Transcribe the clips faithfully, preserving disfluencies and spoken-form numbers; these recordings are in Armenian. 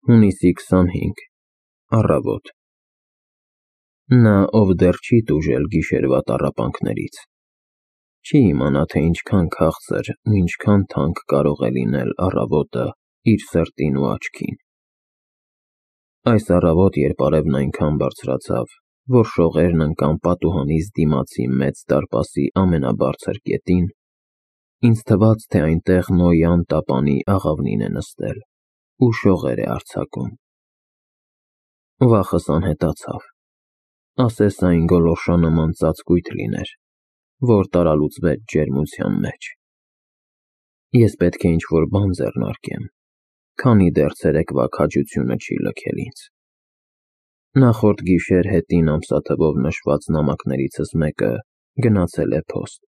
Հունիսի քսանհինգ Առավոտ Նա, ով դեռ չի տուժել գիշերվա տառապանքներից, չի իմանա, թե ինչքան քաղցր ու ինչքան թանկ կարող է լինել առավոտը իր սրտին ու աչքին։ Այս առավոտ, երբ արևն այնքան բարձրացավ, որ շողերն ընկան պատուհանիս դիմացի մեծ դարպասի ամենաբարձր կետին, ինձ թվաց, թե այնտեղ Նոյան տապանի աղավնին է նստել ու շողեր է արձակում։ Վախս անհետացավ, ասես այն գոլորշանման ծածկույթ լիներ, որ տարալուծվեց ջերմության մեջ։ Ես պետք է ինչ-որ բան ձեռնարկեմ, քանի դեռ ցերեկվա քաջությունը չի լքել ինձ։ Նախորդ գիշեր հետին ամսաթվով նշված նամակներիցս մեկը գնացել է փոստ,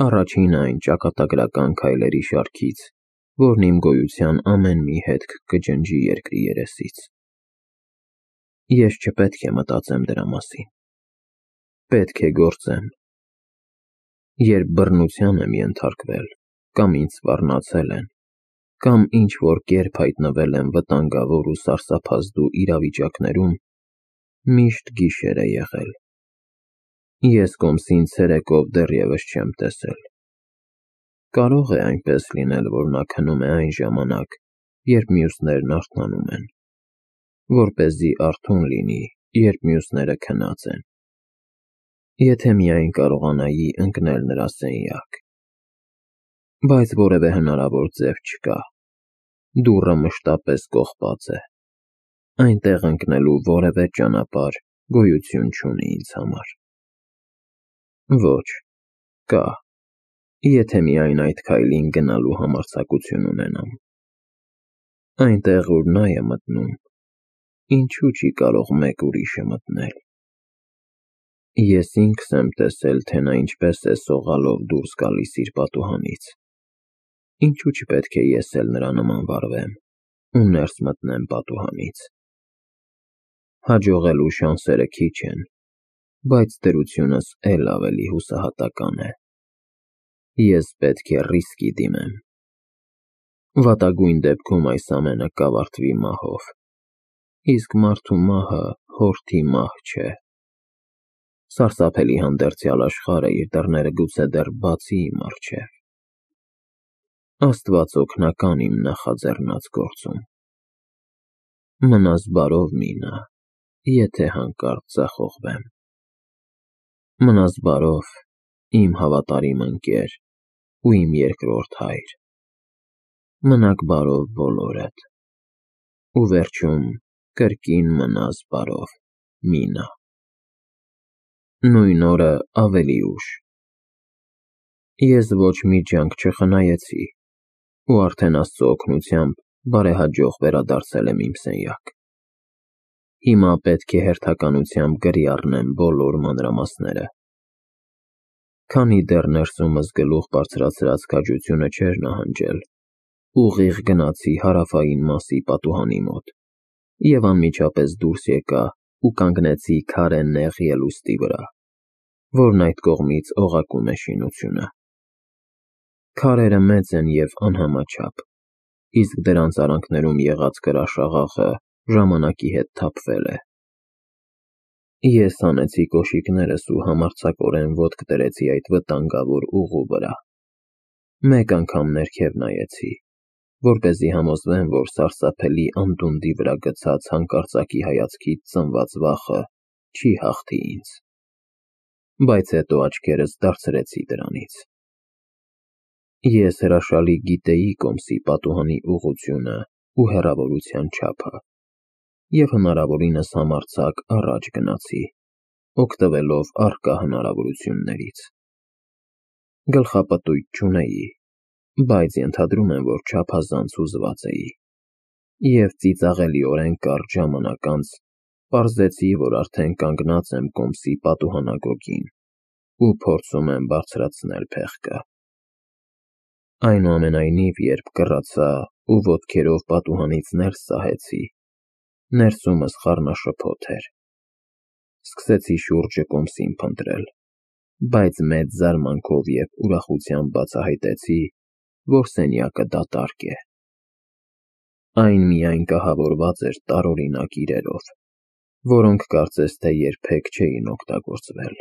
առաջինը այն ճակատագրական քայլերի շարքից, որն իմ գոյության ամեն մի հետք կջնջի երկրի երեսից։ Ես չպետք է մտածեմ դրա մասին, պետք է գործեմ։ Երբ բռնության եմ ենթարկվել, կամ ինձ սպառնացել են, կամ ինչ-որ կերպ հայտնվել եմ վտանգավոր ու սարսափազդու իրավիճակներում, միշտ գիշեր է եղել։ Ես կոմսին ցերեկով դեռևս չեմ տեսել։ Կարող է այնպես լինել, որ նա քնում է այն ժամանակ, երբ մյուսներն արթնանում են, որպեսզի արթուն լինի, երբ մյուսները քնած են։ Եթե միայն կարողանայի ընկնել նրա սենյակ։ Բայց որևէ հնարավոր ձև չկա, դուռը մշտապես կողպած է, այնտեղ ընկնելու որևէ ճանապարհ գոյություն չունի ինձ համար։ Ոչ, կա, եթե միայն այդ քայլին գնալու համարձակություն ունենամ։ Այնտեղ, ուր նա է մտնում, ինչու չի կարող մեկ ուրիշը մտնել։ Ես ինքս եմ տեսել, թե նա ինչպես է սողալով դուրս գալիս իր պատուհանից։ Ինչու չպետք է ես էլ նրա նման վարվեմ ու ներս մտնեմ պատուհանից։ Հաջողելու շանսերը քիչ են, բայց դրությունս էլ ավելի հուսահատական է։ Ես պետք է ռիսկի դիմեմ։ Վատագույն դեպքում այս ամենը կավարտվի մահով, իսկ մարդու մահը հորթի մահ չէ։ Սարսափելի հանդերձյալ աշխարհը իր դռները գուցե դեռ բացի իմ առջև։ Աստված օգնական իմ նախաձեռնած գործում։ Մնաս բարով, Մինա, եթե հանկարծ ձախողվեմ։ Մնաս բարով, իմ հավատարիմ ընկեր ու իմ երկրորդ հայր։ Մնաք բարով բոլորդ։ Ու վերջում կրկին մնաս բարով, Մինա։ Նույն օրը ավելի ուշ։ Ես ոչ մի ջանք չխնայեցի ու արդեն Աստծո օգնությամբ բարեհաջող վերադարձել եմ իմ սենյակ։ Հիմա պետք է հերթականությամբ գրի առնեմ բոլոր մանրամասները։ Քանի դեռ ներսումս գլուխ բարձրացրած քաջությունը չէր նահանջել, ուղիղ գնացի հարավային մասի պատուհանի մոտ և անմիջապես դուրս եկա ու կանգնեցի քարե նեղ ելուստի վրա, որն այդ կողմից օղակում է շինությունը։ Քարերը մեծ են և անհամաչափ, իսկ դրանց արանքներում եղած կրաշաղախը ժամանակի հետ թափվել է։ Ես հանեցի կոշիկներս ու համարձակորեն ոտք դրեցի այդ վտանգավոր ուղու վրա։ Մեկ անգամ ներքև նայեցի, որպեսզի համոզվեմ, որ սարսափելի անդունդի վրա գցած հանկարծակի հայացքից ծնված վախը չի հաղթի ինձ, բայց հետո աչքերս դարձրեցի դրանից։ Ես հրաշալի գիտեի կոմսի պատուհանի ուղղությունը ու հեռավորության չափը և հնարավորինս համարձակ առաջ գնացի, օգտվելով առկա հնարավորություններից։ Գլխապտույտ չունեի, բայց ենթադրում եմ, որ չափազանց հուզված էի, և ծիծաղելիորեն կարճ ժամանակ անց պարզեցի, որ արդեն կանգնած եմ կոմսի պատուհանագոգին ու փորձում եմ բարձրացնել փեղկը։ Այնուամենայնիվ, երբ կռացա ու ոտքերով պատուհանից ներս սահեցի, ներսումս խառնաշփոթ էր։ Սկսեցի շուրջը կոմսին փնտրել, բայց մեծ զարմանքով և ուրախությամբ բացահայտեցի, որ սենյակը դատարկ է։ Այն միայն կահավորված էր տարօրինակ իրերով, որոնք կարծես թե երբեք չէին օգտագործվել։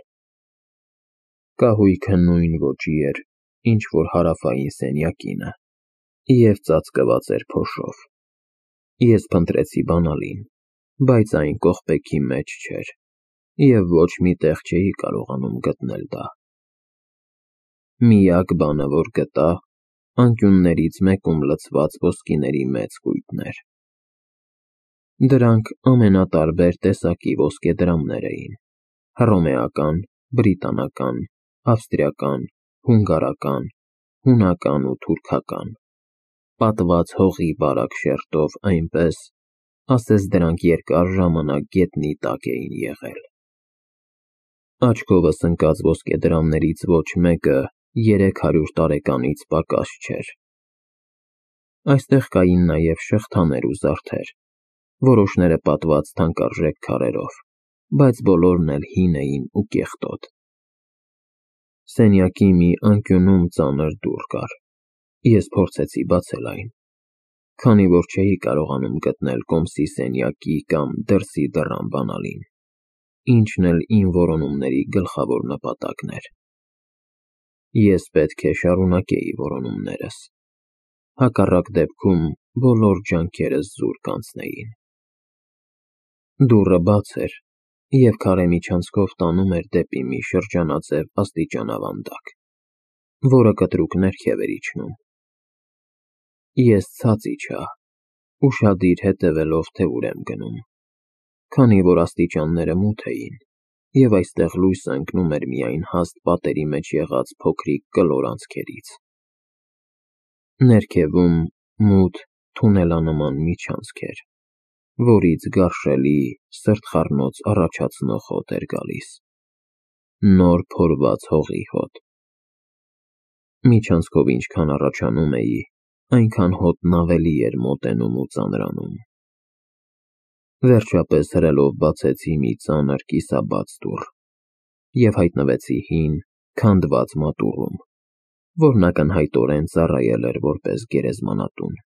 Կահույքը նույն ոճի էր, ինչ որ հարավային սենյակինը, և ծածկված էր փոշով։ Ես փնտրեցի բանալին, բայց այն կողպեքի մեջ չէր, և ոչ մի տեղ չէի կարողանում գտնել դա։ Միակ բանը, որ գտա, անկյուններից մեկում լցված ոսկիների մեծ կույտներ։ Դրանք ամենատարբեր տեսակի ոսկեդրամներ էին՝ հռոմեական, բրիտանական, ավստրիական, հունգարական, հունական ու թուրքական, պատված հողի բարակ շերտով այնպես, ասես դրանք երկար ժամանակ գետնի տակ էին եղել։ Աչքովս ընկած ոսկեդրամներից ոչ մեկը երեք հարյուր տարեկանից պակաս չէր։ Այստեղ կային նաև շղթաներ ու զարդեր, որոշները պատված թանկարժեք քարերով, բայց բոլորն էլ հին էին ու կեղտոտ։ Սենյակի մի անկյունում ծանր դուռ կար։ Ես փորձեցի բացել այն, քանի որ չէի կարողանում գտնել կոմսի սենյակի կամ դրսի դռան բանալին, ինչն էլ իմ որոնումների գլխավոր նպատակն էր։ Ես պետք է շարունակեի որոնումներս, հակառակ դեպքում բոլոր ջանքերս զուր կանցնեին։ Դուռը բաց էր, և քարե միջանցքով տանում էր դեպի մի շրջանաձև աստիճանավանդակ, որը կտրուկ ներքև էր իջնում։ Ես ցած իջա, ուշադիր հետևելով, թե ուր եմ գնում, քանի որ աստիճանները մութ էին, և այստեղ լույսը ընկնում էր միայն հաստ պատերի մեջ եղած փոքրիկ կլոր անցքերից։ Ներքևում մութ թունելանման միջանցք էր, որից գարշելի, սրտխառնոց առաջացնող հոտ էր գալիս, նոր փորված հողի հոտ։ Միջանցքով ինչքան առաջանում էի, այնքան հոտն ավելի էր մոտենում ու ծանրանում։ Վերջապես հրելով բացեցի մի ծանր կիսաբաց դուռ և հայտնվեցի հին, քանդված մատուռում, որն ակնհայտորեն ծառայել էր որպես գերեզմանատուն։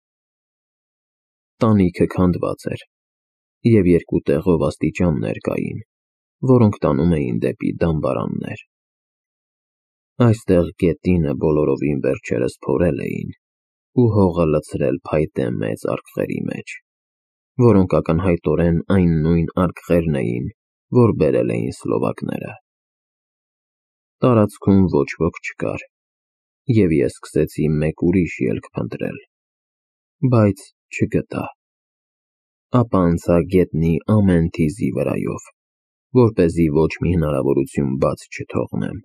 Տանիքը քանդված էր, և երկու տեղով աստիճաններ կային, որոնք տանում էին դեպի դամբարաններ։ Այստեղ գետինը բոլորովին վերջերս փորել էին ու հողը լցրել փայտե մեծ արկղերի մեջ, որոնք ակնհայտորեն այն նույն արկղերն էին, որ բերել էին սլովակները։ Տարածքում ոչ ոք չկար, և ես սկսեցի մեկ ուրիշ ելք փնտրել, բայց չգտա։ Ապա անցա գետնի ամեն թիզի վրայով, որպեսզի ոչ մի հնարավորություն բաց չթողնեմ։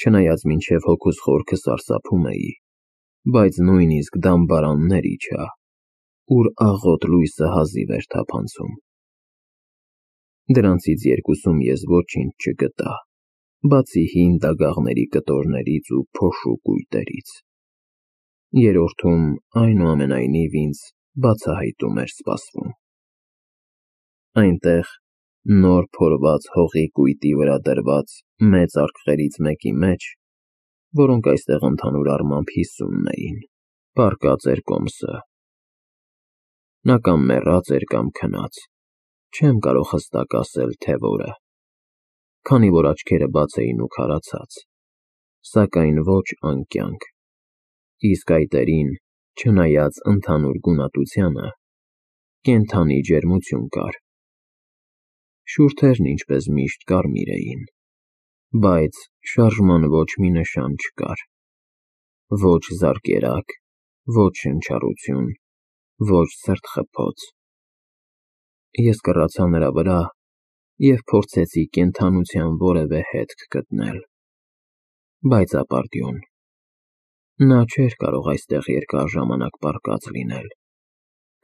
Չնայած մինչև հոգուս խորքը սարսափում էի, բայց նույնիսկ դամբարաններ իջա, ուր աղոտ լույսը հազիվ էր թափանցում։ Դրանցից երկուսում ես ոչինչ չգտա, բացի հին դագաղների կտորներից ու փոշու կույտերից։ Երրորդում, այնուամենայնիվ, ինձ բացահայտում էր սպասվում։ Այնտեղ, նոր փորված հողի կույտի վրա դրված մեծ արկղերից մեկի մեջ, որոնք այստեղ ընդհանուր առմամբ հիսունն էին, պառկած էր կոմսը։ Նա կամ մեռած էր, կամ քնած, չեմ կարող հստակ ասել, թե որը, քանի որ աչքերը բաց էին ու քարացած, սակայն ոչ անկյանք, իսկ այտերին, չնայած ընդհանուր գունատությանը, կենդանի ջերմություն կար։ Շուրթերն ինչպես միշտ կարմիր էին, բայց շարժման ոչ մի նշան չկար, ոչ զարկերակ, ոչ շնչառություն, ոչ սրտխփոց։ Ես կռացա նրա վրա և փորձեցի կենդանության որևէ հետք գտնել, բայց ապարդյուն, նա չէր կարող այստեղ երկար ժամանակ պառկած լինել,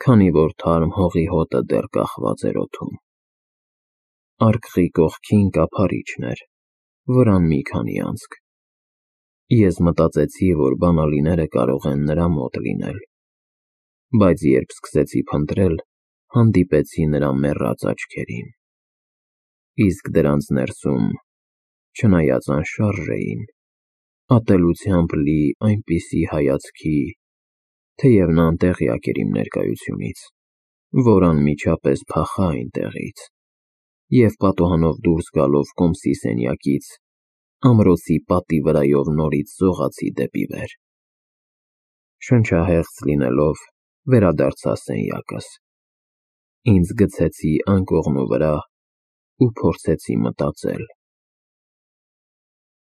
քանի որ թարմ հողի հոտը դեռ կախված էր օդում։ Արկղի կողքին կափարիչն էր, վրան մի քանի անցք։ Ես մտածեցի, որ բանալիները կարող են նրա մոտ լինել, բայց երբ սկսեցի փնտրել, հանդիպեցի նրա մեռած աչքերին, իսկ դրանց ներսում, չնայած անշարժ էին, ատելությամբ լի այնպիսի հայացքի, թեև նա անտեղյակ էր իմ ներկայությունից, որ անմիջապես փախա այնտեղից և պատուհանով դուրս գալով կոմսի սենյակից, ամրոցի պատի վրայով նորից զողացի դեպի վեր։ Շնչահեղձ լինելով, վերադարձա սենյակս, ինձ գցեցի անկողնու վրա ու փորձեցի մտածել։